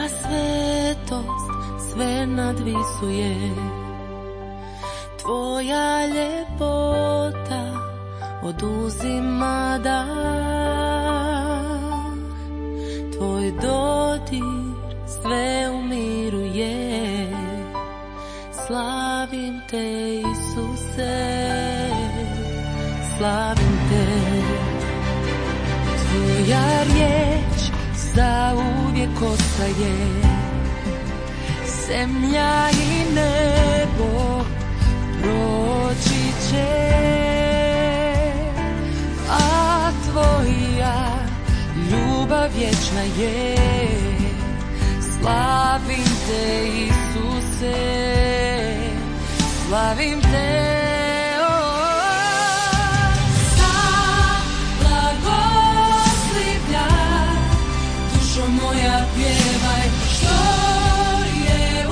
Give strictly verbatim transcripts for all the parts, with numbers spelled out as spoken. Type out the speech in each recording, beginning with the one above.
svetost sve nadvisuje, tvoja ljepota oduzima dah, tvoj dodir sve umiruje. Slavim te, Isuse, slavim te. Tvoja riječ zauvijek ostaje, zemlja i nebo proći će, a tvoja ljubav vječna je. Slavim te, Isuse, slavim te. Moja pjevaj što je u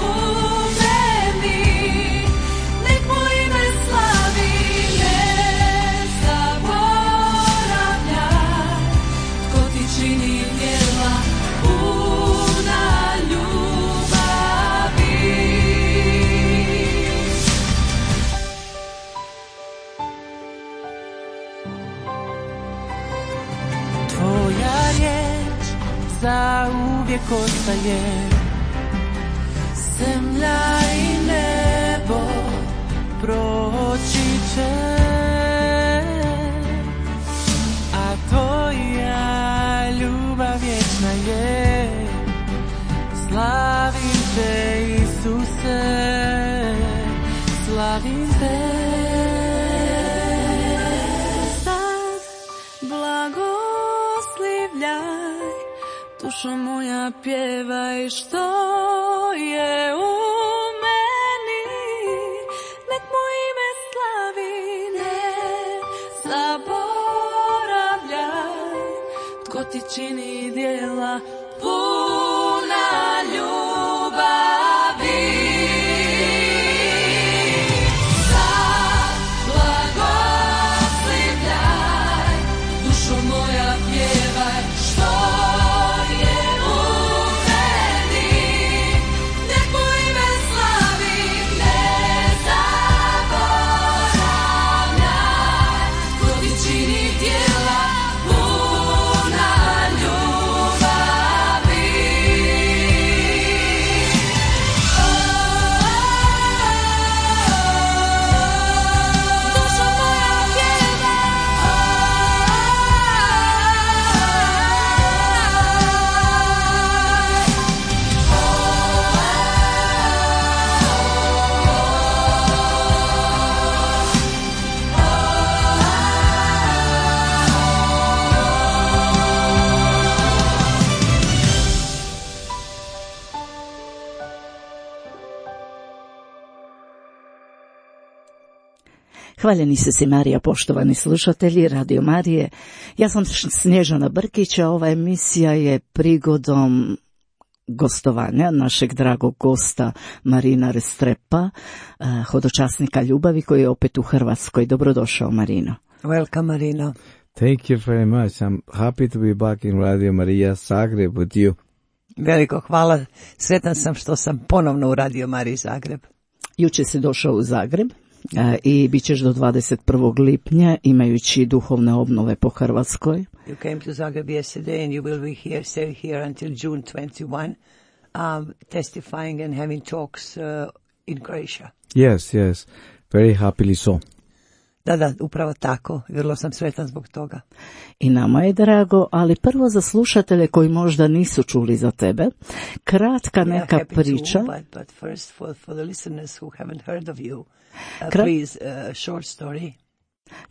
meni, nek mu ime slavi, ne zaboravljaj, tko ti čini djela puna ljubavi. Tvoja riječ zauvijek ostaje, zemlja i nebo proći će, a tvoja ljubav vječna je. Slavim te, Isuse, slavim te. Sad blagoslivljaj, dušo moja pjevaj što je u meni, nek mu ime slavi, ne zaboravljaj, tko ti čini djela puna ljubavi. Sad blagoslivljaj, dušo moja pjevaj što Hvaljeni se si Marija, poštovani slušatelji Radio Marije. Ja sam Snježana Brkić, a ova emisija je prigodom gostovanja našeg dragog gosta Marina Restrepa, hodočasnika ljubavi koji je opet u Hrvatskoj. Dobrodošao, Marino. Welcome, Marino. Thank you very much. I'm happy to be back in Radio Maria Zagreb with you. Veliko hvala. Sretan sam što sam ponovno u Radio Mariji Zagreb. Jučer si došao u Zagreb i bit ćeš do dvadeset prvog lipnja imajući duhovne obnove po Hrvatskoj. You came to Zagreb yesterday and you will be here, stay here until June twenty-first, um, testifying and having talks uh, in Croatia. Yes, yes, very happily so. Da, da, upravo tako. Vrlo sam sretan zbog toga. I nama je drago, ali prvo za slušatelje koji možda nisu čuli za tebe, kratka neka priča. To, but, but first for, for the listeners who haven't heard of you, uh, Krat... please, uh, short story.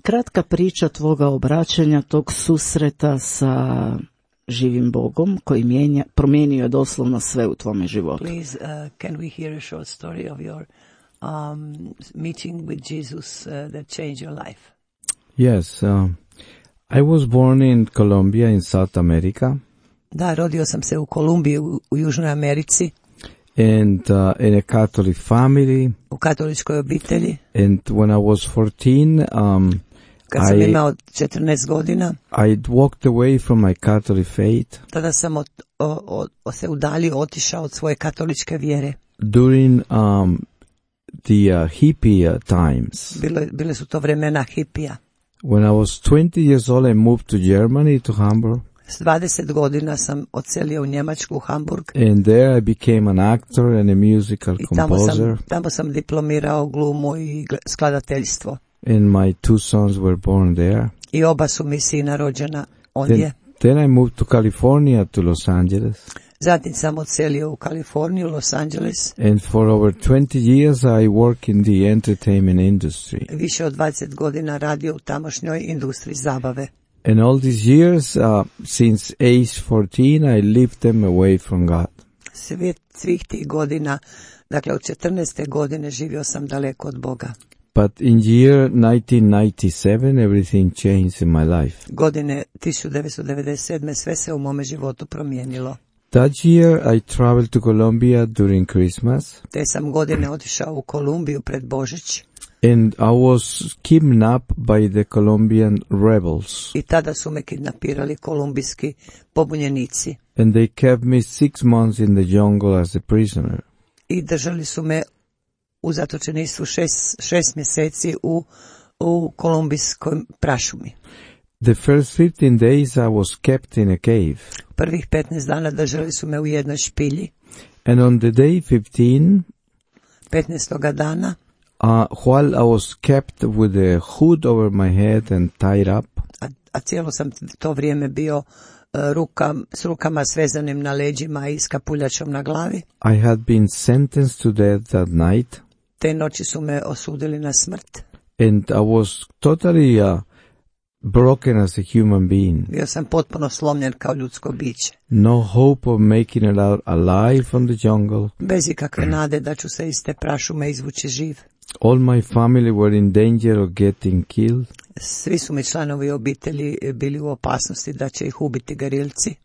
Kratka priča tvoga obraćanja, tog susreta sa živim Bogom koji mijenja, promijenio je doslovno sve u tvome životu. Please, uh, can we hear a short story of your um, meeting with Jesus uh, that changed your life? Yes, um, I was born in Colombia in South America. Da, rodio sam se u Kolumbiji u, u Južnoj Americi. And uh, in a Catholic family. U katoličkoj obitelji. And when I was fourteen, um, Kad sam I- imao četrnaest godina, I walked away from my Catholic faith tada sam od, o, o, se udaljio, otišao od svoje katoličke vjere. during um, the uh, hippie uh, times. Bile, bile su to vremena hipija. When I was twenty years old, I moved to Germany, to Hamburg, S dvadeset godina sam odselio u Njemačku, u Hamburg, and there I became an actor and a musical i tamo composer, sam, tamo sam diplomirao glumu i gle- skladateljstvo. and my two sons were born there. I oba su mi sina rođena ondje. Then, then I moved to California, to Los Angeles, Zatim sam odselio u Kaliforniju, Los Angeles. and for over twenty years I work in the entertainment industry. Više od dvadeset godina radio u tamošnjoj industriji zabave. And all these years, uh, since age fourteen, I lived them away from God. Sve, svih tih godina, dakle od četrnaeste godine živio sam daleko od Boga. But in year nineteen ninety-seven, everything changed in my life. Godine tisuću devetsto devedeset sedme sve se u mome životu promijenilo. That year, I traveled to Colombia during Christmas, Te sam godine otišao u Kolumbiju pred Božić and I was kidnapped by the Colombian rebels, i tada su me kidnapirali kolumbijski pobunjenici and they kept me six months in the jungle as a prisoner. i držali su me u zatočeništvu šest, šest mjeseci u, u kolumbijskoj prašumi. The first fifteen days, I was kept in a cave, Prvih petnaest dana držali su me u jednoj špilji. and on the day fifteen, petnaestoga dana, uh, while I was kept with a hood over my head and tied up, a, a cijelo sam to vrijeme bio e, ruka, s rukama svezanim na leđima i s kapuljačom na glavi. I had been sentenced to death that night, Te noći su me osudili na smrt. and I was totally uh, broken as a human being. Bio sam potpuno slomljen kao ljudsko biće. No hope of making it out alive from the jungle. Bez ikakve nade da ću se iz te prašume izvući živ. All my family were in danger of getting killed. Svi su mi članovi obitelji bili u opasnosti da će ih ubiti garilci.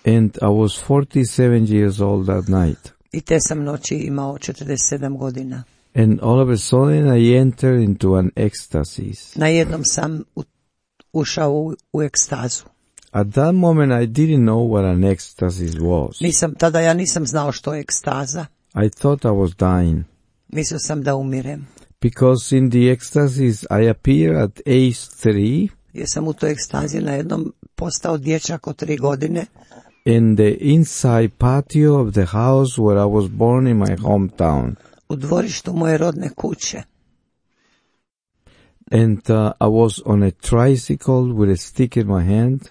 And I was forty-seven years old that night. I te sam noći imao četrdeset sedam godina. And all of a sudden I entered into an ecstasy. Najednom sam u, ušao u, u ekstazu. At that moment I didn't know what an ecstasy was. Nisam, tada ja nisam znao što je ekstaza. I thought I was dying. Mislio sam da umirem. Because in the ecstasies I appear at age three, Jer sam u toj ekstazi najednom postao dječak od tri godine in the inside patio of the house where I was born in my hometown. u dvorištu moje rodne kuće. And uh, I was on a tricycle with a stick in my hand,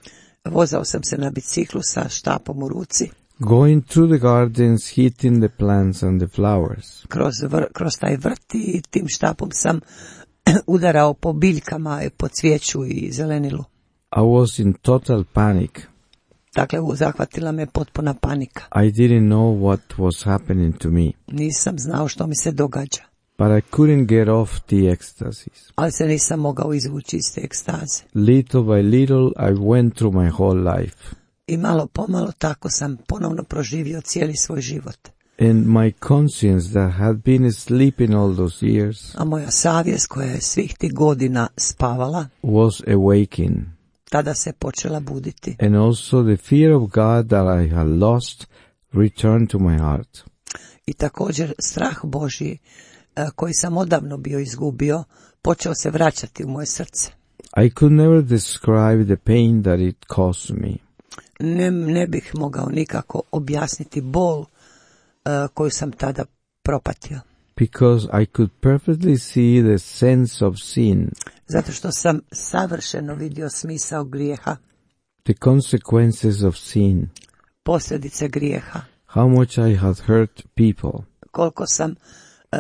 Vozao sam se na biciklu sa štapom u ruci. going through the gardens, hitting the plants and the flowers. Kroz, vr, kroz taj vrt i tim štapom sam udarao po biljkama, po cvijeću i zelenilu. I was in total panic. Dakle, zahvatila me potpuna panika. I didn't know what was happening to me, Nisam znao što mi se događa, but I couldn't get off the ecstasies. ali se nisam mogao izvući iz te ekstaze. Little by little, I went through my whole life, I malo pomalo tako sam ponovno proživio cijeli svoj život. and my conscience that had been asleep in all those years A moja savjest koja je svih tih godina spavala, was awakened, tada se počela buditi. and also the fear of God that I had lost returned to my heart. I također strah Božji e, koji sam odavno bio izgubio, počeo se vraćati u moje srce. I could never describe the pain that it caused me. Ne, ne bih mogao nikako objasniti bol e, koju sam tada propatio. Because I could perfectly see the sense of sin, Zato što sam savršeno vidio smisao grijeha, the consequences of sin, posljedice grijeha, how much I had hurt people, koliko sam e,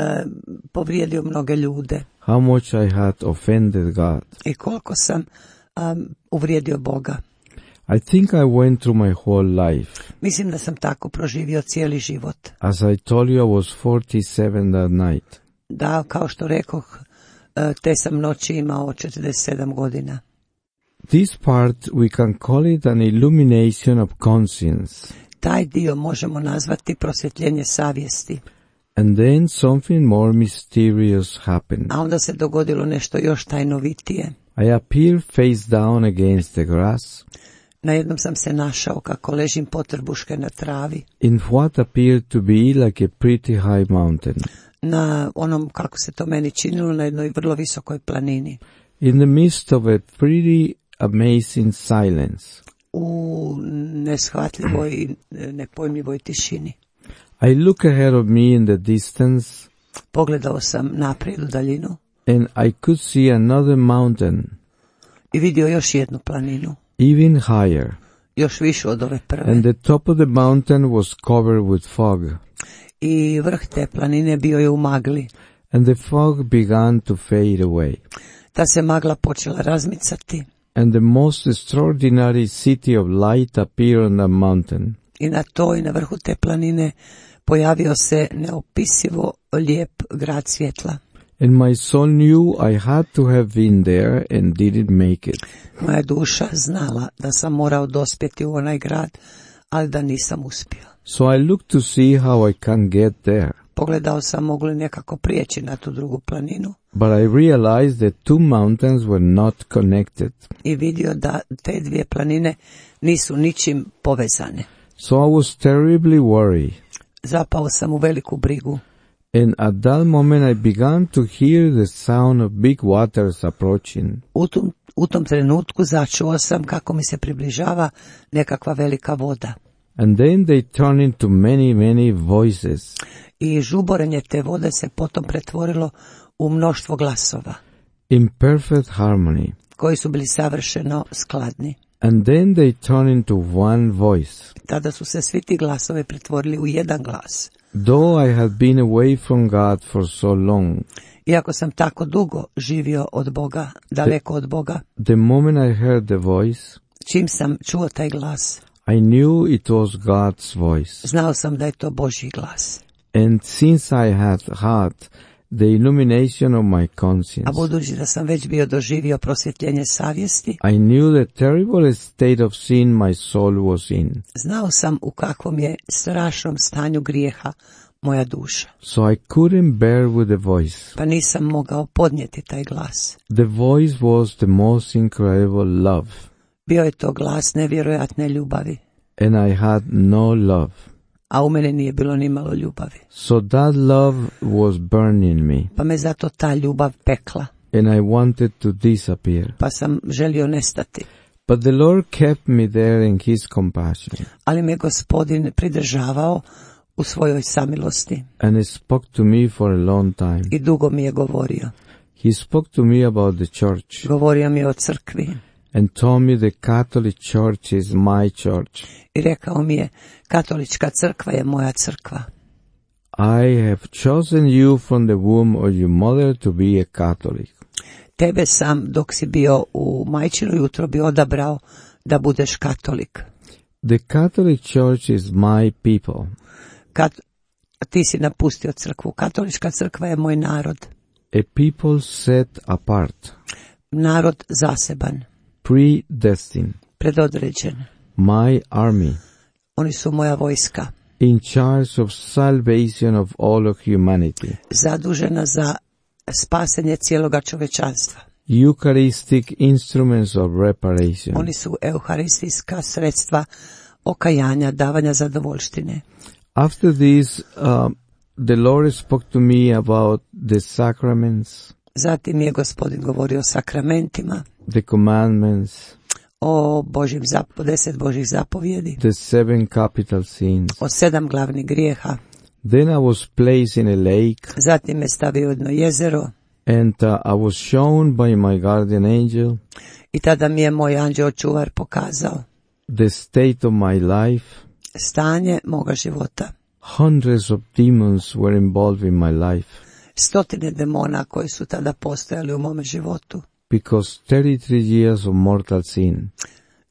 povrijedio mnoge ljude how much I had offended God. i koliko sam um, uvrijedio Boga. I think I went through my whole life. Mislim da sam tako proživio cijeli život. As I told you, I was forty-seven that night. Da, kao što rekoh, e, te sam noći imao četrdeset sedam godina. This part we can call it an illumination of conscience. Taj dio možemo nazvati prosvjetljenje savjesti. And then something more mysterious happened. A onda se dogodilo nešto još tajnovitije. I appeared face down against the grass, Na jednom sam se našao kako ležim potrbuške na travi, in what appeared to be like a pretty high mountain. na onom, kako se to meni činilo, na jednoj vrlo visokoj planini. In the midst of a pretty amazing silence, U neshvatljivoj i nepojmljivoj tišini. I look ahead of me in the distance, Pogledao sam naprijed u daljinu and I could see another mountain, i vidio još jednu planinu, even higher, još višu od ove prve. and the top of the mountain was covered with fog, I vrh te planine bio je u magli. and the fog began to fade away, Ta se magla počela razmicati and the most extraordinary city of light appeared on the mountain. i na toj, na vrhu te planine, pojavio se neopisivo lijep grad svjetla. And my soul knew I had to have been there and didn't make it. Moja duša znala da sam morao dospjeti u onaj grad, ali da nisam uspio. So I looked to see how I can get there. Pogledao sam mogu li nekako prijeći na tu drugu planinu But I realized that two mountains were not connected. i vidio da te dvije planine nisu ničim povezane. So I was terribly worried. Zapao sam u veliku brigu. And at that moment I began to hear the sound of big waters approaching. U tom, u tom trenutku začuo sam kako mi se približava nekakva velika voda. And then they turned into many, many voices. I žuborenje te vode se potom pretvorilo u mnoštvo glasova, In perfect harmony. koji su bili savršeno skladni. And then they turned into one voice. Tada su se svi ti glasovi pretvorili u jedan glas. Though I had been away from God for so long, Iako sam tako dugo živio od Boga, daleko od Boga, the moment I heard the voice, čim sam čuo taj glas, I knew it was God's voice. znao sam da je to Božji glas. And since I had had the illumination of my A conscience, budući da sam već bio doživio prosvjetljenje savjesti, I knew the terrible state of sin my soul was in. znao sam u kakvom je strašnom stanju grijeha moja duša. So I couldn't bear with the voice. Pa nisam mogao podnijeti taj glas. The voice was the most incredible love, Bio je to glas nevjerojatne ljubavi, and I had no love. a u mene nije bilo ni malo ljubavi. So that love was burning me, Pa me zato ta ljubav pekla, and I wanted to disappear. pa sam želio nestati. But the Lord kept me there in His compassion, Ali me Gospodin pridržavao u svojoj samilosti and He spoke to me for a long time. i dugo mi je govorio. He spoke to me about the church, Govorio mi je o crkvi and told me the Catholic Church is my church. i rekao mi je, katolička crkva je moja crkva. I have chosen you from the womb of your mother to be a Catholic. Tebe sam, dok si bio u majčinoj utrobi, odabrao da budeš katolik. The Catholic Church is my people. Kat, ti si napustio crkvu. Katolička crkva je moj narod. A people set apart, Narod zaseban, predestined, predodređen. my army, Oni su moja vojska, in charge of salvation of all of humanity. zadužena za spasenje cijeloga čovečanstva. Eucharistic instruments of reparation. Oni su euharistijska sredstva okajanja, davanja zadovoljštine. After this, uh, the Lord spoke to me about the sacraments, Zatim je Gospodin govorio o sakramentima, the commandments, o Božjim zap- deset Božjih zapovjedi, the seven capital sins. o sedam glavnih grijeha. Then I was placed in a lake, Zatim me stavio u jedno jezero and uh, I was shown by my guardian angel i tada mi je moj anđeo čuvar pokazao the state of my life. stanje moga života. Hundreds of demons were involved in my life, Stotine demona koji su tada postojali u mome životu. because thirty-three years of mortal sin.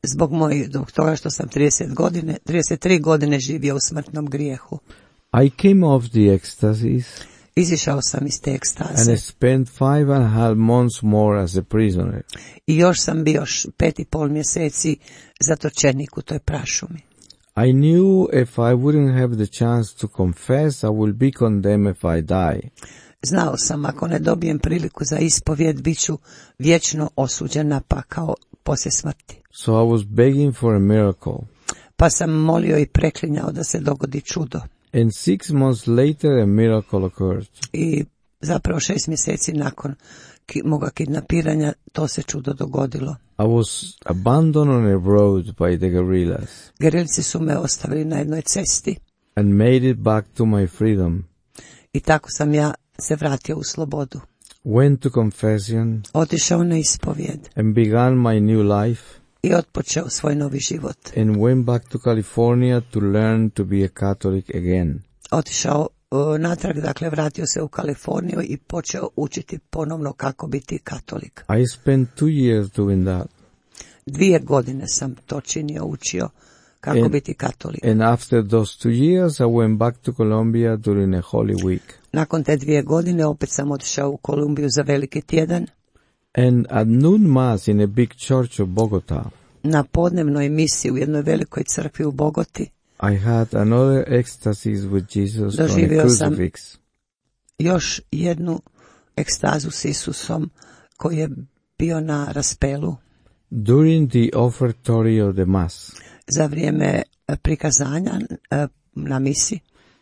Zbog mojih, zbog toga što sam trideset godine, trideset tri godine živio u smrtnom grijehu. I came off the ecstasies Izišao sam iz te and ekstaze I spent five and a half months more as a prisoner. i još sam bio š- pet i pol mjeseci zatočenik u toj prašumi. I knew if I wouldn't have the chance to confess, I will be condemned if I die. Znao sam, ako ne dobijem priliku za ispovjed, bit ću vječno osuđen na pakao poslije smrti. So I was begging for a miracle. Pa sam molio i preklinjao da se dogodi čudo. And six months later a miracle occurred. I zapravo šest mjeseci nakon ki, moga kidnapiranja to se čudo dogodilo. I was abandoned on a road by the guerrillas Gerilci su me ostavili na jednoj cesti and made it back to my freedom. i tako sam ja se vratio u slobodu. Went to confession Otišao na ispovjed and began my new life i otpočeo svoj novi život. and went back to California to learn to be a Catholic again. Otišao uh, natrag, dakle vratio se u Kaliforniju i počeo učiti ponovno kako biti katolik. I spent two years doing that. Dvije godine sam to činio, učio kako And- biti katolik. And after those two years, I went back to Colombia during a Holy Week. Nakon te dvije godine opet sam otišao u Kolumbiju za veliki tjedan. And at noon mass in a big church of Bogota, Na podnevnoj misiji u jednoj velikoj crkvi u Bogoti I had another ecstasies with Jesus on a Doživio sam- crucifix. još jednu ekstazu s Isusom koji je bio na raspelu During the offertory of the mass, za vrijeme e, prikazanja e, na misi.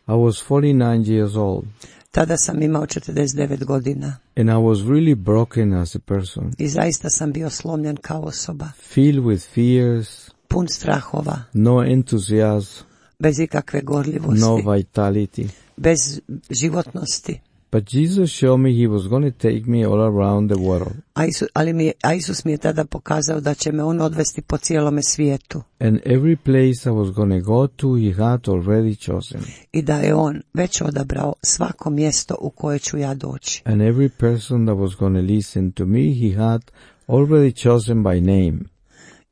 I was forty-nine years old, Tada sam imao četrdeset devet godina and I was really broken as a person, i zaista sam bio slomljen kao osoba, filled with fears, pun strahova, no enthusiasm, bez ikakve gorljivosti, no vitality. bez životnosti. But Jesus showed me He was going to take me all around the world. A Isus, ali mi je, a Isus mi je tada pokazao da će me on odvesti po cijelome svijetu And every place I was going to go to, He had already chosen. i da je on već odabrao svako mjesto u koje ću ja doći. And every person that was going to listen to me, He had already chosen by name.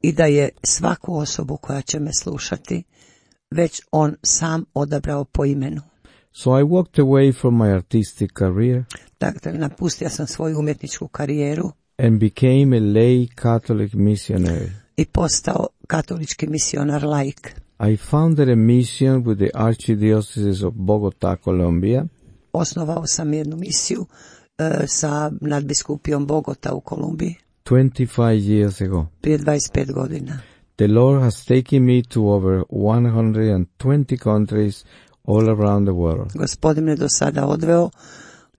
I da je svaku osobu koja će me slušati već on sam odabrao po imenu. So I walked away from my artistic career Dakle, napustio sam svoju umjetničku karijeru and became a lay Catholic missionary. i postao katolički misionar laik. I founded a mission with the Archdiocese of Bogota, Colombia, Osnovao sam jednu misiju e, sa nadbiskupijom Bogota u Kolumbiji twenty-five years ago. prije dvadeset pet godina. The Lord has taken me to over one hundred twenty countries all around the world. Gospodin me do sada odveo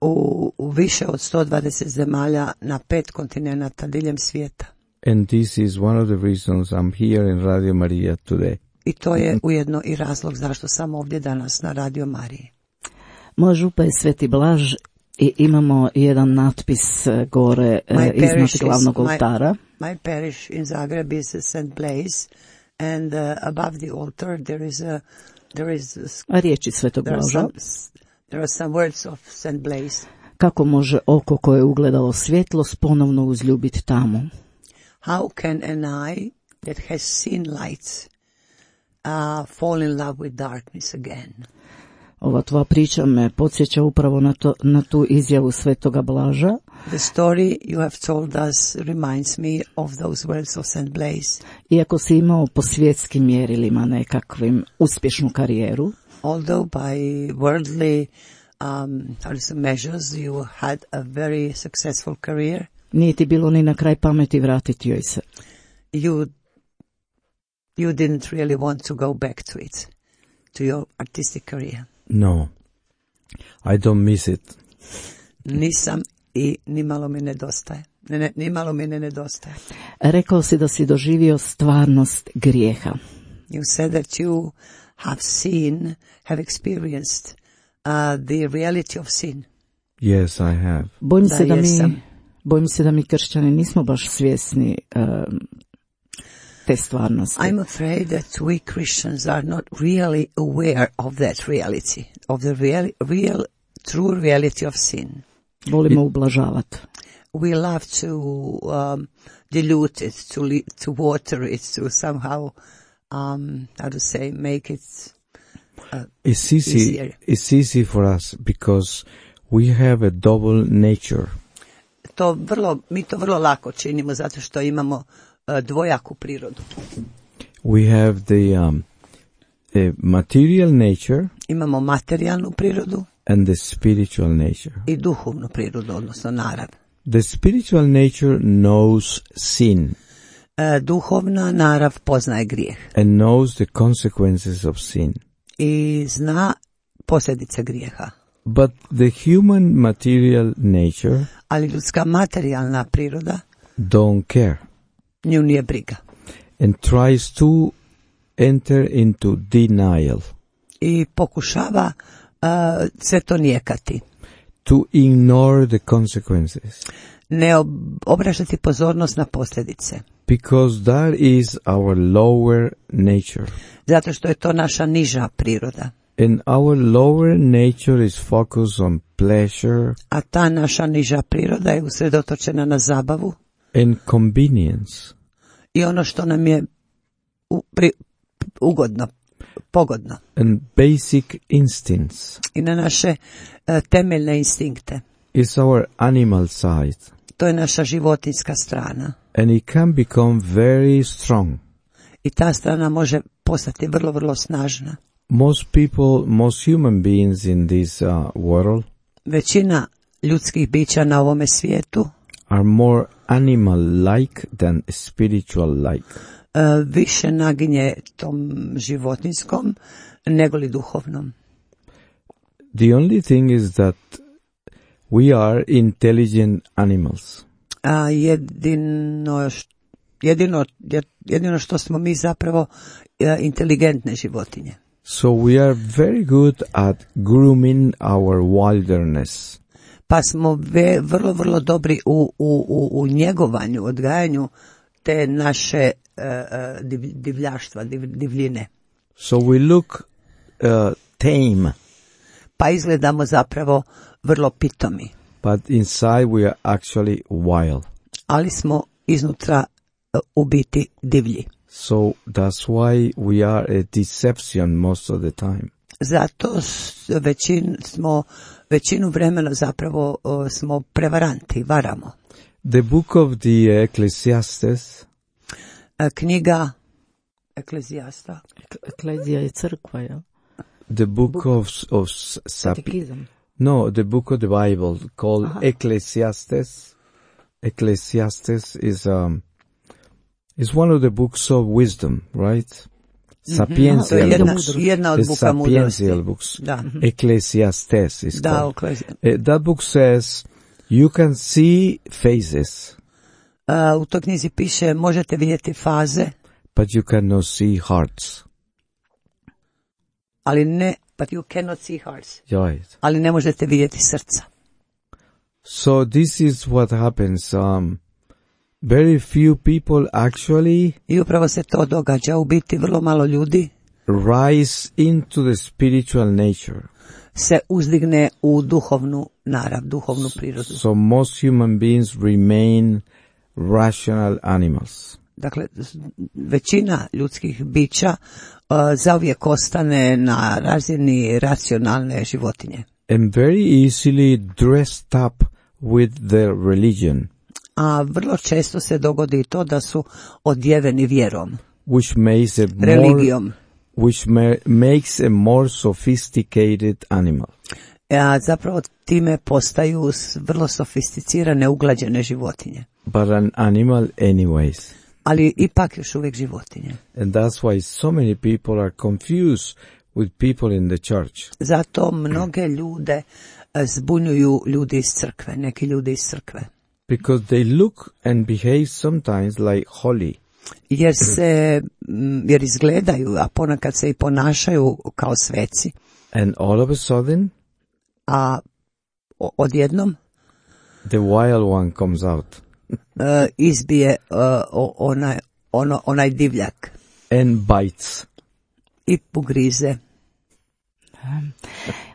u, u više od sto dvadeset zemalja na pet kontinenata diljem svijeta. And this is one of the reasons I'm here in Radio Maria today. I to je ujedno i razlog zašto sam ovdje danas na Radio Mariji. Moj župa je Sveti Blaž i imamo jedan natpis e, gore e, My iznad parish is- glavnog my- oltara. My parish in Zagreb is Saint Blaise, and uh, above the altar there is a there is a, Riječi Svetog there are Blaža. some there are some words of Saint Blaise. Kako može oko koje je ugledalo svjetlost ponovno uzljubiti tamo? How can an eye that has seen lights uh, fall in love with darkness again? Ova tvoja priča me podsjeća upravo na, to, na tu izjavu Svetoga Blaža. The story you have told us reminds me of those words of Saint Blaise. Iako si imao po svjetskim mjerilima nekakvim uspješnu karijeru, Although by worldly um, how to say, measures you had a very successful career, nije ti bilo ni na kraj pameti vratiti joj se. you you didn't really want to go back to it, to your artistic career. No, I don't miss it. Nisam i nimalo mi nedostaje. Ne, ne, nimalo mi ne nedostaje. Rekao si da si doživio stvarnost grijeha. You said that you have seen, have experienced uh, the reality of sin. Yes, I have. Bojim Da, se da mi, jesam. bojim se da mi kršćani nismo baš svjesni um, te stvarnosti. I'm afraid that we Christians are not really aware of that reality, of the real, real, true reality of sin. Volimo ublažavati. We love to um, dilute it, to li- to water it, to somehow, um, how to say, make it. Uh, It's easy. Easier. It's easy for us because we have a double nature. to vrlo, mi to vrlo lako činimo zato što imamo uh, dvojaku prirodu. We have the um, the material nature Imamo materijalnu prirodu and the spiritual nature. i duhovnu prirodu, odnosno narav. The spiritual nature knows sin E, duhovna narav poznaje grijeh and knows the consequences of sin. i zna posljedice grijeha. But the human material nature Ali ljudska materijalna priroda don't care nju nije briga and tries to enter into denial, i pokušava uh, sve to nijekati, to ignore the consequences, ne ob- obraćati pozornost na posljedice, because that is our lower nature. zato što je to naša niža priroda. And our lower nature is focused on pleasure A ta naša niža priroda je usredotočena na zabavu and convenience. i ono što nam je u, pri, ugodno, pogodno, And basic instincts i na naše uh, temeljne instinkte. is our animal side, To je naša životinjska strana and it can become very strong. i ta strana može postati vrlo, vrlo snažna. Most people, most human beings in this uh, world Većina ljudskih bića na ovome svijetu are more animal-like than spiritual-like. uh, više naginje tom životinjskom nego li duhovnom. The only thing is that we are intelligent animals. A jedino, š- jedino, jedino što smo mi zapravo uh, inteligentne životinje. So we are very good at grooming our wilderness. Pa smo ve, vrlo, vrlo dobri u, u, u, u njegovanju, odgajanju te naše uh, uh, div, divljaštva, div, divljine. So we look uh, tame, Pa izgledamo zapravo vrlo pitomi, but inside we are actually wild. ali smo iznutra uh, u biti divlji. So that's why we are a deception most of the time. Zato s- većin, smo, većinu vremena zapravo uh, smo prevaranti, varamo. The book of the Ecclesiastes Uh, knjiga Eklezijasta, Eklezija je crkva, ja? the book of of Sap- Katekizam. no, the book of the Bible called Aha. Ecclesiastes. Ecclesiastes is um is one of the books of wisdom, right? to je Sapiential jedna, books. jedna od The buka mudrosti. Sapiential books. Da, Ecclesiastes is da, called. Eklezija. Uh, that book says you can see phases, Uh, u toj knjizi piše možete vidjeti faze, but you cannot see hearts. ali ne, but you cannot see hearts, Right. ali ne možete vidjeti srca. So this is what happens. Um, very few people actually I upravo se to događa, u biti vrlo malo ljudi rise into the spiritual nature. se uzdigne u duhovnu narav, duhovnu prirodu. So most human beings remain rational animals. Dakle, s- većina ljudskih bića uh, zauvijek ostane na razini racionalne životinje. And very easily dressed up with their religion, A vrlo često se dogodi i to da su odjeveni vjerom, which makes a more, religijom. which ma- makes a more sophisticated animal. A zapravo time postaju s- vrlo sofisticirane, uglađene životinje. But an animal anyways. Ali ipak još uvijek životinje. And that's why so many people are confused with people in the church. Zato mnoge ljude e, zbunjuju ljudi iz crkve, neki ljudi iz crkve. Because they look and behave sometimes like holy. Jer se, m, jer izgledaju, a ponekad se i ponašaju kao sveci. And all of a sudden, A o- odjednom the wild one comes out. e, izbije e, o- onaj, ono, onaj divljak And bites. i pogrize.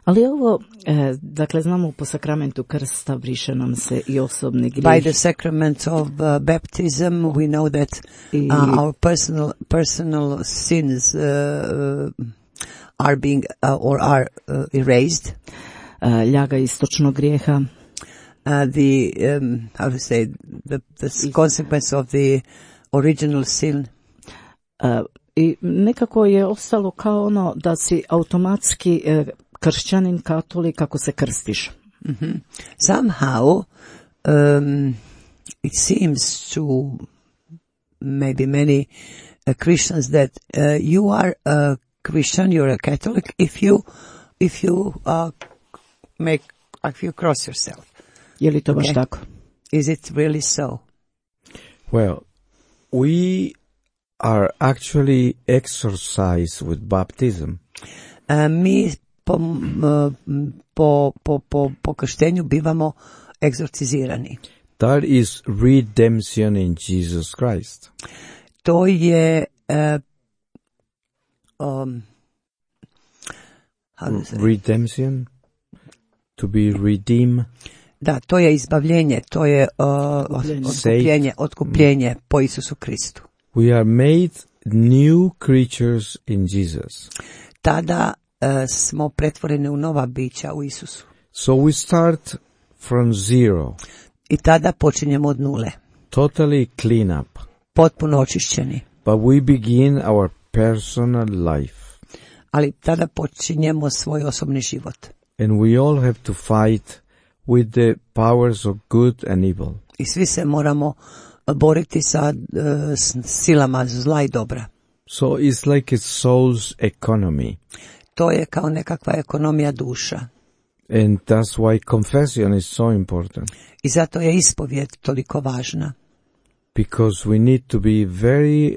Ali ovo, e, dakle, znamo po sakramentu krsta briše nam se i osobni By grijeh. the sacrament of uh, baptism, we know that I- uh, our personal personal sins uh, uh, are being uh, or are uh, erased. E, ljaga istočnog grijeha. Uh, the um, how to say the the consequence of the original sin. E, I nekako je ostalo kao ono da si automatski e, kršćanin, katolik, kako se krstiš? Mm-hmm. Somehow, um, it seems to maybe many uh, Christians that uh, you are a Christian, you're a Catholic if you if you uh, make if you cross yourself. Je li to baš Okay. tako? Is it really so? Well, we are actually exorcised with baptism. Uh, mi po, uh, po, po, po, po krštenju bivamo egzorcizirani. That is redemption in Jesus Christ. To je uh, um, how do you say? Redemption, to be redeemed. Da, to je izbavljenje, to je uh, Otkupljenje. otkupljenje, otkupljenje po Isusu Kristu. We are made new creatures in Jesus. Tada uh, smo pretvoreni u nova bića u Isusu. So we start from zero, I tada počinjemo od nule, totally clean up. potpuno očišćeni. But we begin our personal life. Ali tada počinjemo svoj osobni život. And we all have to fight with the powers of good and evil. I svi se moramo boriti sa uh, s silama zla i dobra. So it's like a soul's economy. To je kao nekakva ekonomija duša. And that's why confession is so important. I zato je ispovjed toliko važna. Because we need to be very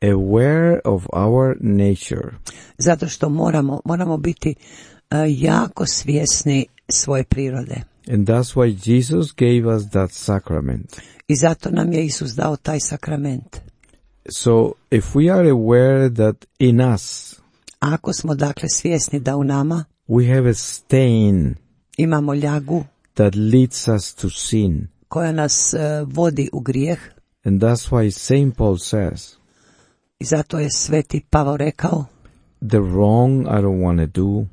aware of our nature. Zato što moramo, moramo biti uh, jako svjesni svoje prirode. And that's why Jesus gave us that sacrament. I zato nam je Isus dao taj sakrament. So if we are aware that in us Ako smo dakle svjesni da u nama we have a stain imamo ljagu that leads us to sin. koja nas uh, vodi u grijeh, And that's why Saint Paul says, i zato je sveti Pavao rekao, the wrong I don't want to do,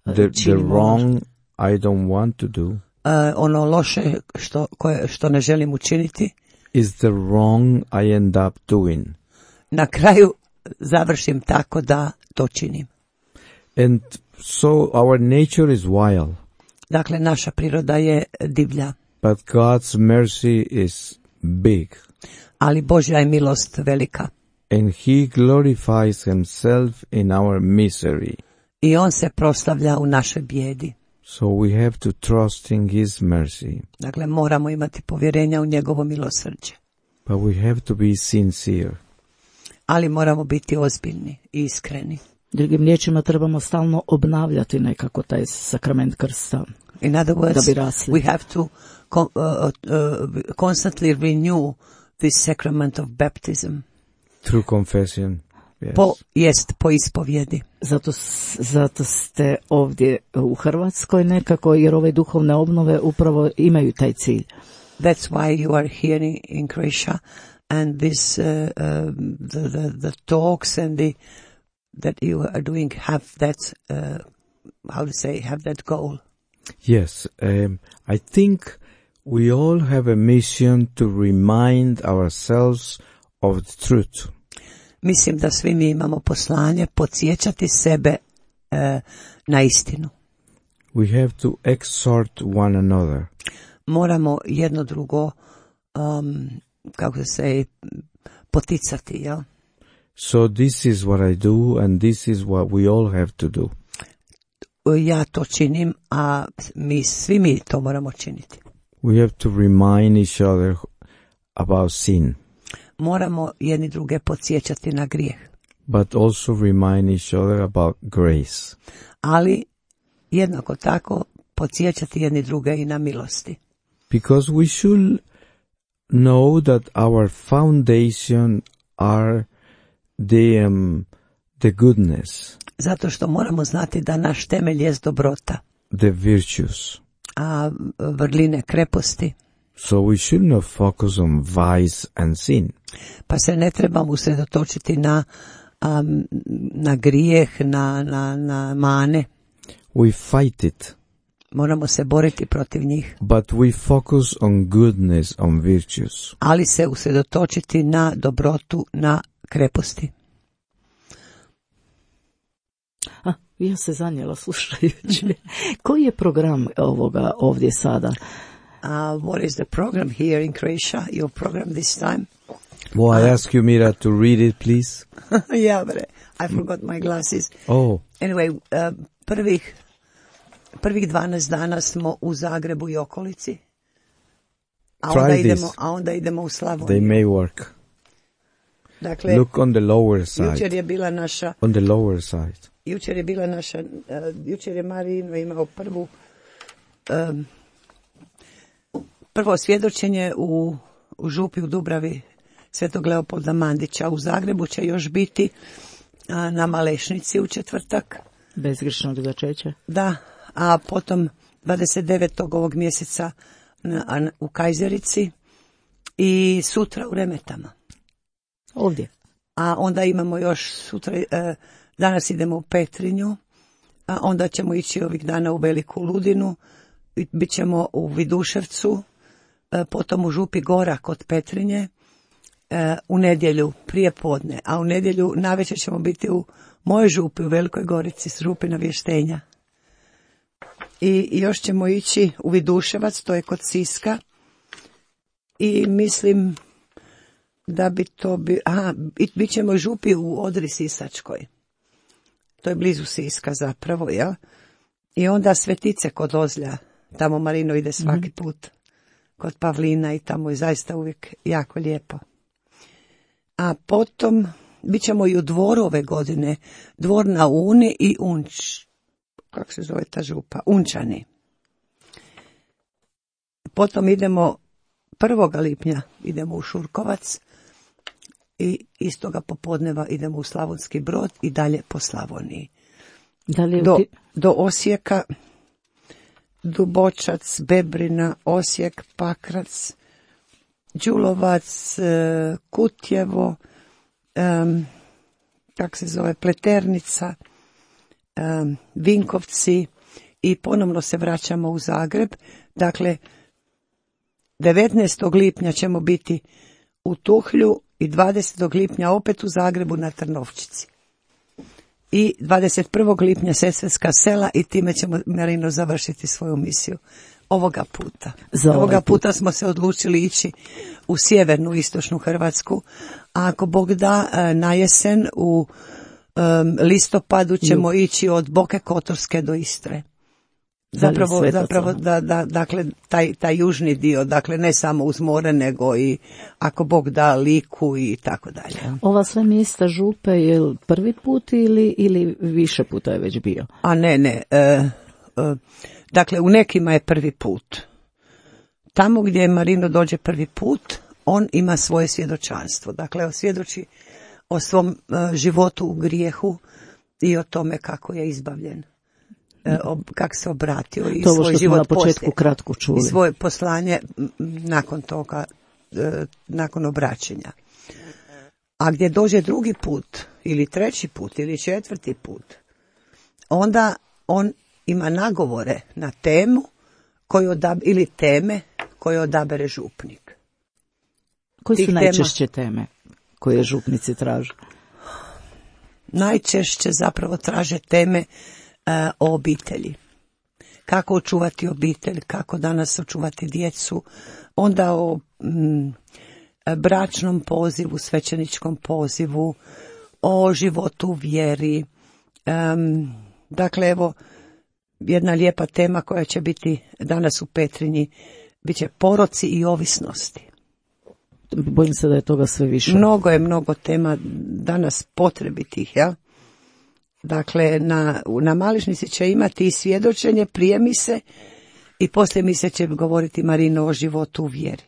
the, the Činimo ono wrong I don't want to do uh, ono loše što, koje, što ne želim učiniti, is the wrong I end up doing. na kraju završim tako da to činim. And so our nature is wild, Dakle, naša priroda je divlja, but God's mercy is big. ali Božja je milost velika. And He glorifies Himself in our misery. I on se proslavlja u našoj bijedi. So we have to trust in His mercy. Dakle, moramo imati povjerenja u njegovo milosrđe. But we have to be sincere. Ali moramo biti ozbiljni i iskreni. Drugim riječima, trebamo stalno obnavljati nekako taj sakrament krsta. In other Da words, bi rasli. we have to con- uh, uh, constantly renew this sacrament of baptism. Through confession. Yes. Po, jest po ispovjedi. Zato, s- zato ste ovdje u Hrvatskoj nekako, jer ove duhovne obnove upravo imaju taj cilj. That's why you are here in, in Croatia, and this uh, um, the, the the talks and the that you are doing have that uh, how to say have that goal. Yes, um, I think we all have a mission to remind ourselves of the truth. Mislim da svi mi imamo poslanje podsjećati sebe uh, na istinu. We have to exhort one another. Moramo jedno drugo um, kako se say, poticati, jel? So this is what I do, and this is what we all have to do. Ja to činim, a mi svi mi to moramo činiti. We have to remind each other about sin, Moramo jedni druge podsjećati na grijeh, but also remind each other about grace. ali jednako tako podsjećati jedni druge i na milosti. Because we should know that our foundation are the um, the goodness, Zato što moramo znati da naš temelj jest dobrota, the virtues. a vrline kreposti, So we should not focus on vice and sin. pa se ne trebamo usredotočiti na, um, na grijeh, na, na, na mane. We fight it, Moramo se boriti protiv njih, but we focus on goodness, on virtues. ali se usredotočiti na dobrotu, na kreposti. Ja se zanijela slušajući. Koji je program ovoga ovdje sada? Uh, what is the program here in Croatia? Your program this time? Well, I ask you, Mira, to read it, please. Yeah, but I forgot my glasses. Oh, Anyway, uh, prvih, prvih dvanaest dana smo u Zagrebu i okolici. A Try onda this. idemo, a onda idemo u they Slavoniju. may work. Dakle, Look on the lower jučer side. je bila naša, On the lower side. jučer je bila naša, uh, jučer je Marino imao prvu, um, prvo svjedočenje u, u župi u Dubravi Svetog Leopolda Mandića. U Zagrebu će još biti a, na Malešnici u četvrtak. Bezgrešnog začeća. Da, a potom dvadeset devetog ovog mjeseca na, a, u Kajzerici i sutra u Remetama. Ovdje. A onda imamo još sutra, e, danas idemo u Petrinju, a onda ćemo ići ovih dana u Veliku Ludinu, i bit ćemo u Viduševcu, e, potom u Župi Gora kod Petrinje, e, u nedjelju prije podne, a u nedjelju navečer ćemo biti u mojoj župi u Velikoj Gorici, s Župi Navještenja. I još ćemo ići u Viduševac, to je kod Siska, i mislim da bi to bi, aha, bit ćemo u župi u Odri Sisačkoj. To je blizu Siska zapravo, jel? I onda Svetice kod Ozlja, tamo Marino ide svaki mm-hmm. put, kod Pavlina i tamo je zaista uvijek jako lijepo. A potom bit ćemo i u Dvoru ove godine, Dvor na Uni i Unč, kako se zove ta župa, Unčani. Potom idemo prvog lipnja idemo u Šurkovac i istoga popodneva idemo u Slavonski Brod i dalje po Slavoniji. Da li je Do, ti- do Osijeka, Dubočac, Bebrina, Osijek, Pakrac, Đulovac, e, Kutjevo, em, kak se zove, Pleternica, em, Vinkovci i ponovno se vraćamo u Zagreb. Dakle, devetnaestog lipnja ćemo biti u Tuhlju i dvadesetog lipnja opet u Zagrebu na Trnovčici. I dvadeset prvog lipnja Sesvetska sela i time ćemo, Marino, završiti svoju misiju. Ovoga puta. Za ovaj Ovoga put. puta smo se odlučili ići u sjevernu, istočnu Hrvatsku, a ako Bog da, e, na jesen u em, listopadu ćemo ići od Boke Kotorske do Istre. Zapravo, Svetaca. zapravo da, da, dakle, taj, taj južni dio, dakle, ne samo uz more, nego i ako Bog da Liku i tako dalje. Ova sve mjesta župe je li prvi put ili, ili više puta je već bio? A ne, ne, e, e, dakle, u nekima je prvi put. Tamo gdje Marino dođe prvi put, on ima svoje svjedočanstvo. Dakle, svjedoči o svom e, životu u grijehu i o tome kako je izbavljen. E, ob, kako se obratio i To ovo svoj što smo život na početku poslije. kratko čuli. I svoje poslanje m, nakon toga, e, nakon obraćenja. A gdje dođe drugi put, ili treći put, ili četvrti put, onda on ima nagovore na temu koju odab, ili teme koje odabere župnik. Koje su tih najčešće teme koje župnici traže? Najčešće zapravo traže teme e, o obitelji. Kako očuvati obitelj, kako danas očuvati djecu, onda o mm, bračnom pozivu, svećeničkom pozivu, o životu u vjeri. Em, dakle, evo, jedna lijepa tema koja će biti danas u Petrinji, bit će poroci i ovisnosti. Bojim se da je toga sve više. Mnogo je, mnogo tema danas potrebitih, jel? Dakle, na, na Malešnici će imati i svjedočenje prije mise i poslije mise će govoriti Marino o životu u vjeri.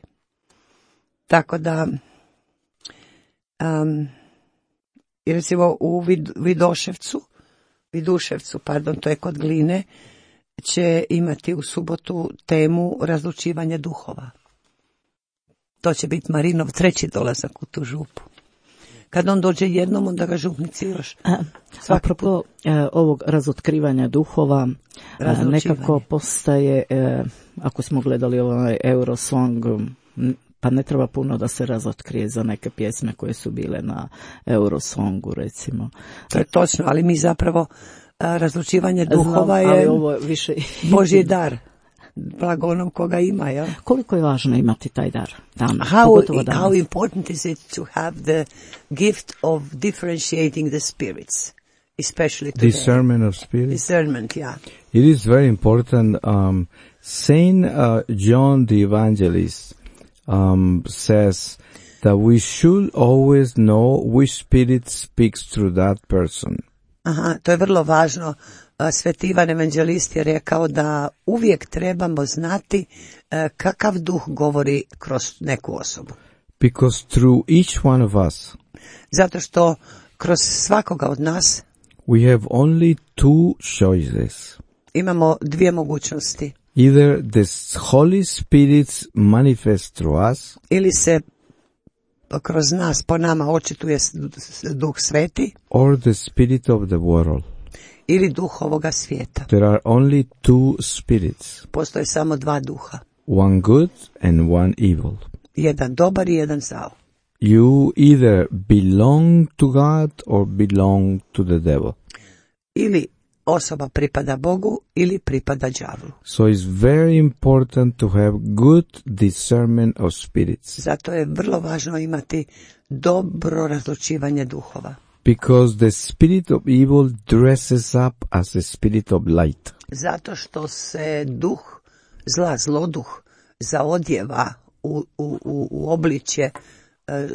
Tako da, um, recimo u Vid, Vidoševcu, Viduševcu, pardon, to je kod Gline, će imati u subotu temu razlučivanje duhova. To će biti Marinov treći dolazak u tu župu. Kad on dođe jednom, onda ga župnici još. Apropo e, ovog razotkrivanja duhova, e, nekako postaje, e, ako smo gledali ovaj Eurosong, m, pa ne treba puno da se razotkrije za neke pjesme koje su bile na Eurosongu, recimo. To je točno, ali mi zapravo a, razlučivanje duhova Znam, ali je ovo je više... Božji dar. Blago onom koga ima, jel? Koliko je važno imati taj dar danas, How, pogotovo danas? how important is it to have the gift of differentiating the spirits, especially today? Discernment of spirit. Discernment, yeah. It is very important. Um, Saint uh, John the Evangelist um, says that we should always know which spirit speaks through that person. Aha, to je vrlo važno. Sveti Ivan Evanđelist je rekao da uvijek trebamo znati kakav duh govori kroz neku osobu. Because through each one of us, Zato što kroz svakoga od nas we have only two choices. imamo dvije mogućnosti. Either the Holy Spirit manifests through us, Ili se kroz nas, po nama očituje duh sveti, or the spirit of the world. ili duh ovoga svijeta. There are only two spirits, Postoje samo dva duha. one good and one evil. Jedan dobar i jedan zao. You either belong to God or belong to the devil. Ili osoba pripada Bogu ili pripada đavlu. So it's very important to have good discernment of spirits, Zato je vrlo važno imati dobro razlučivanje duhova. because the spirit of evil dresses up as the spirit of light. Zato što se duh zla, zloduh, zaodjeva u, u, u, u obličje e, e,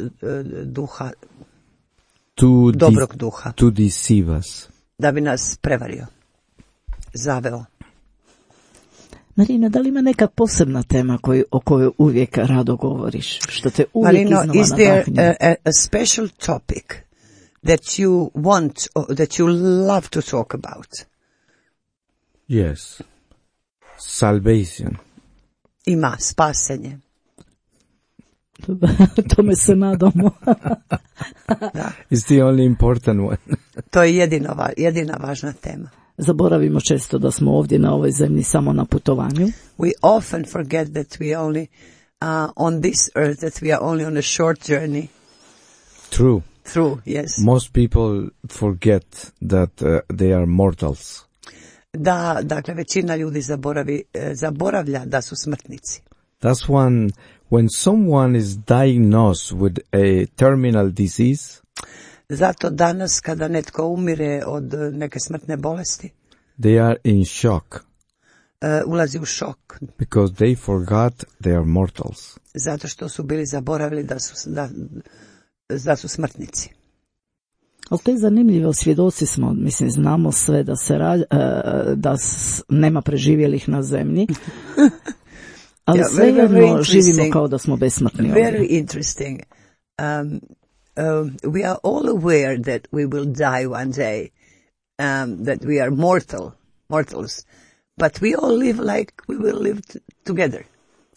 duha, To, de- dobrog duha, to deceive us. da bi nas prevario, zaveo. Marina, da li ima neka posebna tema koju, o kojoj uvijek rado govoriš? Što te uvijek Marino, iznova is there nadahnje? a, a, a special topic that you want, or that you love to talk about? Yes. Salvation. Ima spasenje. Tome se nadamo. It's the only important one. To je jedino, va- jedina važna tema. Zaboravimo često da smo ovdje na ovoj zemlji samo na putovanju. We often forget that we only uh, on this earth, that we are only on a short journey True. through, yes. Most people forget that uh, they are mortals. Da, dakle, većina ljudi zaboravi, eh, zaboravlja da su smrtnici. That's one, when someone is diagnosed with a terminal disease, Zato danas kada netko umire od eh, neke smrtne bolesti, they are in shock eh, ulazi u šok, because they forgot they are mortals. zato što su bili zaboravili da su, da, da su smrtnici. Ali to je zanimljivo, svjedoci smo, mislim, znamo sve da se ra, e, da s, nema preživjelih na zemlji, ali Yeah, very, svejedno very interesting. živimo kao da smo besmrtni ovdje. Very interesting. Um, um, we are all aware that we will die one day, um, that we are mortal, mortals, but we all live like we will live t- together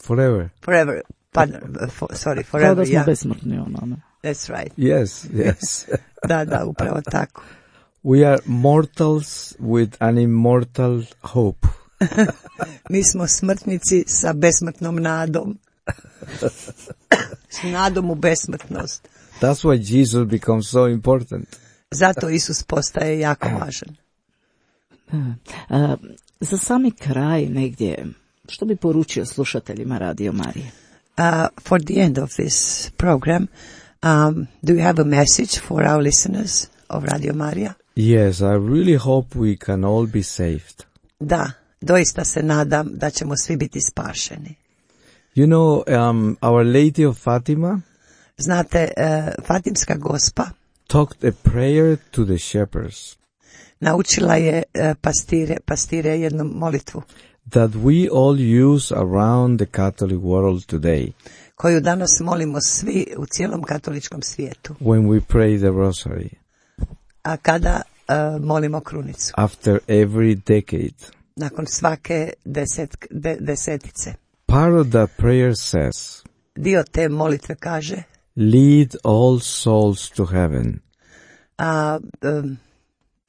Forever. forever. Pardon, uh, for, sorry, Kao da forever. smo Yeah, besmrtni, ono, ne? that's right. Yes, yes. Da, da, upravo tako. We are mortals with an immortal hope. Mi smo smrtnici sa besmrtnom nadom. S nadom u besmrtnost. That's why Jesus becomes so important. Zato Isus postaje jako važan. E, za sami kraj negdje, što bi poručio slušateljima Radio Marije? Uh, for the end of this program, um, do you have a message for our listeners of Radio Maria? Yes, I really hope we can all be saved. Da, doista se nadam da ćemo svi biti spašeni. You know, um, Our Lady of Fatima Znate, uh, Fatimska Gospa taught a prayer to the shepherds naučila je uh, pastire, pastire jednu molitvu that we all use around the Catholic world today koju danas molimo svi u cijelom katoličkom svijetu. when we pray the rosary A kada uh, molimo krunicu, after every decade. nakon svake deset, de, desetice. Part of that prayer says, Dio te molitve kaže, lead all souls to heaven. a um,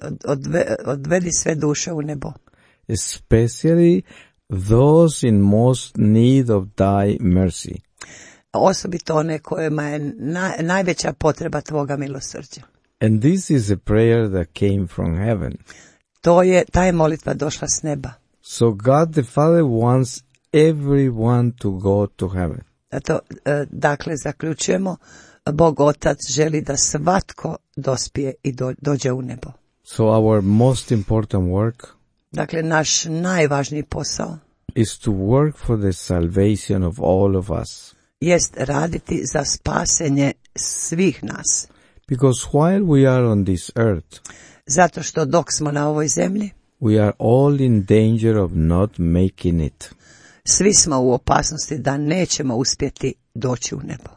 od, odve, odvedi sve duše u nebo, Especially those in most need of thy mercy. osobito one kojima je na, najveća potreba tvoga milosrđa. And this is a prayer that came from heaven. To je, ta je molitva došla s neba. So God the Father wants everyone to go to heaven. Zato, e, dakle, zaključujemo, Bog Otac želi da svatko dospije i do, dođe u nebo. So our most important work Dakle, naš najvažniji posao is to work for the salvation of all of us. jest raditi za spasenje svih nas. Because while we are on this earth, Zato što dok smo na ovoj zemlji, we are all in danger of not making it. svi smo u opasnosti da nećemo uspjeti doći u nebo.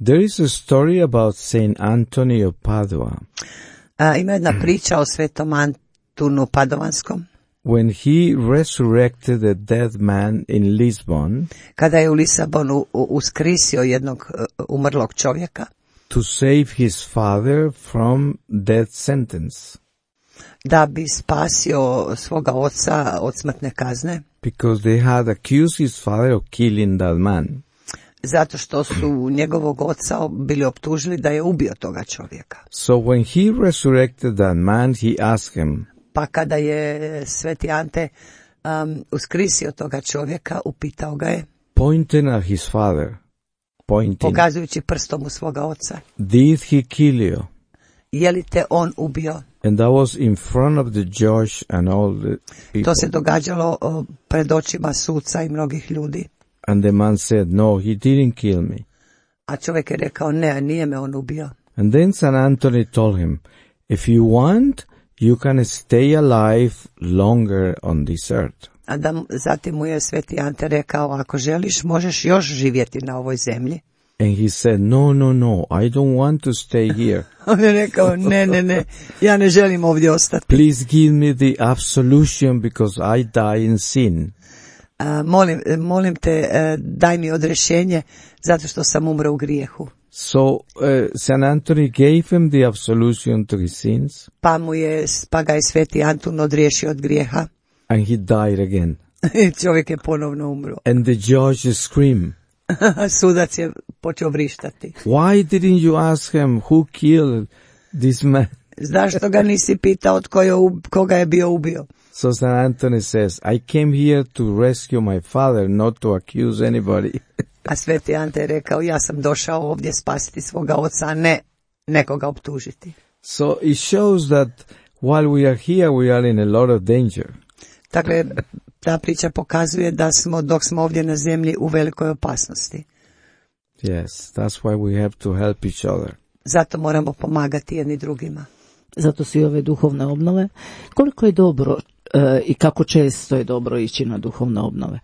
There is a story about Saint Anthony of Padua. A, ima jedna priča o svetom Antunu Padovanskom, When he resurrected a dead man in Lisbon kada je u Lisabonu u- uskrisio jednog e, umrlog čovjeka, to save his father from death sentence, da bi spasio svoga oca od smrtne kazne, because they had accused his father of killing that man. zato što su njegovog oca bili optužili da je ubio toga čovjeka. So when he resurrected that man, he asked him, Pa kada je sveti Ante um, uskrisio toga čovjeka, upitao ga je, pointing at his father, pointing, pokazujući prstom u svoga oca, did he kill you? je li te on ubio? And that was in front of the judge and all the people. To se događalo o, pred očima suca i mnogih ljudi. And the man said, no, he didn't kill me. A čovjek je rekao, ne, nije me on ubio. And then Saint Anthony told him, if you want, you can stay alive longer on this earth. A da, mu- zatim mu je sveti Ante rekao, ako želiš, možeš još živjeti na ovoj zemlji. And he said, no, no, no, I don't want to stay here. On je rekao, ne, ne, ne, ja ne želim ovdje ostati. Please give me the absolution because I die in sin. A, molim, molim te, e, daj mi odrešenje, zato što sam umro u grijehu. So uh, Saint Anthony gave him the absolution to his sins, Pa mu je, pa ga je sveti Antun odriješio od grijeha. and he died again. I čovjek je ponovno umro. And the judge screamed, Sudac je počeo vrištati. why didn't you ask him who killed this man? Zašto ga nisi pitao tko je, ub- koga je bio ubio? So Saint Anthony says, I came here to rescue my father, not to accuse anybody. A sveti Ante je rekao, ja sam došao ovdje spasiti svoga oca, a ne nekoga optužiti. So it shows that while we are here, we are in a lot of danger. Dakle, ta priča pokazuje da smo, dok smo ovdje na zemlji, u velikoj opasnosti. Yes, that's why we have to help each other. Zato moramo pomagati jedni drugima. Zato su i ove duhovne obnove. Koliko je dobro e, i kako često je dobro ići na duhovne obnove?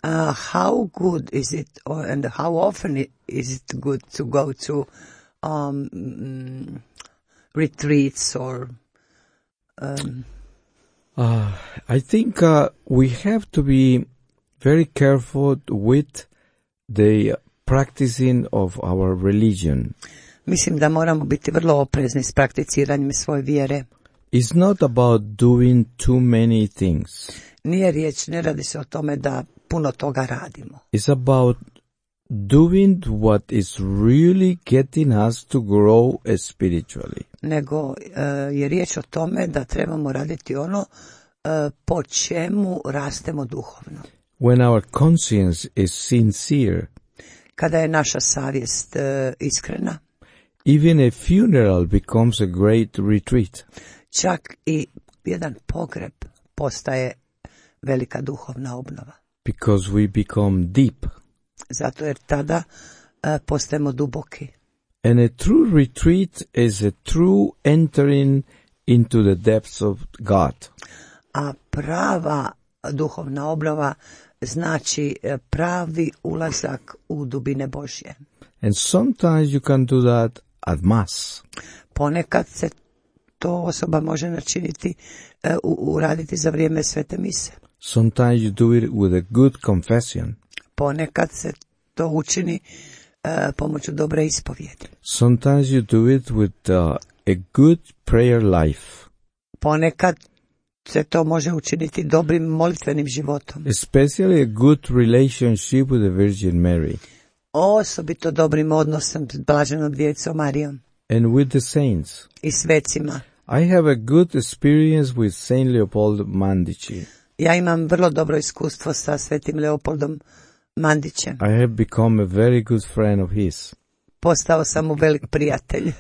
Uh, how good is it, or, and how often i- is it good to go to um, mm, retreats or um, Uh, I think uh, we have to be very careful with the practicing of our religion. mislim da moramo biti vrlo oprezni s prakticiranjem svoje vjere. It's not about doing too many things. Nije riječ, ne radi se o tome da puno toga radimo. It's about doing what is really getting us to grow uh, spiritually. Nego uh, je riječ o tome da trebamo raditi ono uh, po čemu rastemo duhovno. When our conscience is sincere, Kada je naša savjest uh, iskrena, even a funeral becomes a great retreat. čak i jedan pogreb postaje velika duhovna obnova. Because we become deep. Zato jer tada uh, postajemo duboki. And a true retreat is a true entering into the depths of God. A prava duhovna obnova znači uh, pravi ulazak u dubine Božje. And sometimes you can do that at Mass. Ponekad se to osoba može načiniti, uh, u- uraditi za vrijeme svete mise. Sometimes you do it with a good confession. Ponekad se to učini uh, pomoću dobre ispovjedi. Sometimes you do it with uh, a good prayer life. Ponekad se to može učiniti dobrim molitvenim životom. Especially a good relationship with the Virgin Mary Osobito dobrim odnosom s blaženom djevicom Marijom and with the saints. i svecima. I have a good experience with Saint Leopold Mandici. Ja imam vrlo dobro iskustvo sa svetim Leopoldom Mandićem. I have become a very good friend of his. Postao sam mu velik prijatelj.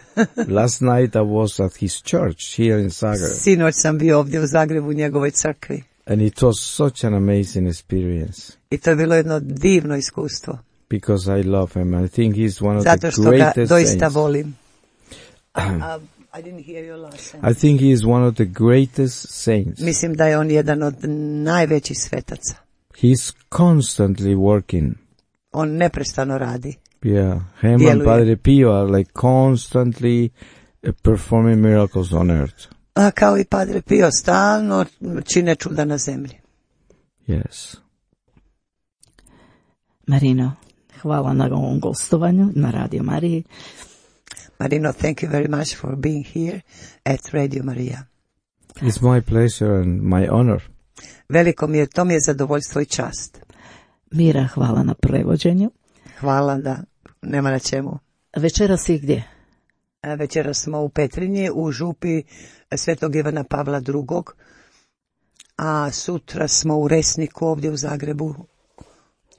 Last night I was at his church here in Zagreb. Sinoć sam bio ovdje u Zagrebu u njegovoj crkvi. And it was such an amazing experience. I to je bilo jedno divno iskustvo. Because I love him. I think he's one of Zato the što ga greatest doista saints. volim. Uh, I didn't hear your last sentence. I think he is one of the greatest saints. Mislim da je on jedan od najvećih svetaca. He's constantly working. On neprestano radi. Yeah, him and Djeluje. Padre Pio are like constantly uh, performing miracles on earth. A kao i Padre Pio stalno čine čuda na zemlji. Yes. Marino, hvala na ovom gostovanju na Radio Mariji. Marino, thank you very much for being here at Radio Maria. It's my pleasure and my honor. Veliko mi je, to mi je zadovoljstvo i čast. Mira, hvala na prevođenju. Hvala da nema na čemu. Večeras si gdje? E, Večeras smo u Petrinji, u župi Svetog Ivana Pavla drugog, a sutra smo u Resniku ovdje u Zagrebu,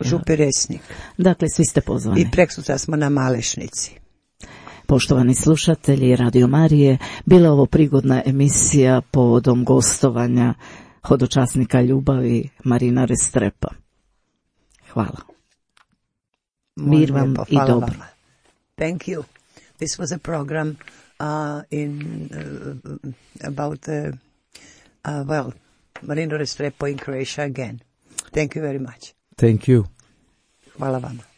župi Resnik. Dakle, svi ste pozvani. I preksutra smo na Malešnici. Poštovani slušatelji Radio Marije, bila je ovo prigodna emisija povodom gostovanja hodočasnika ljubavi Marina Restrepa. Hvala. Mir vam Lijepo, i hvala dobro. vama. Thank you. This was a program uh, in uh, about uh, uh, well, Marino Restrepo in Croatia again. Thank you very much. Thank you. Hvala vama.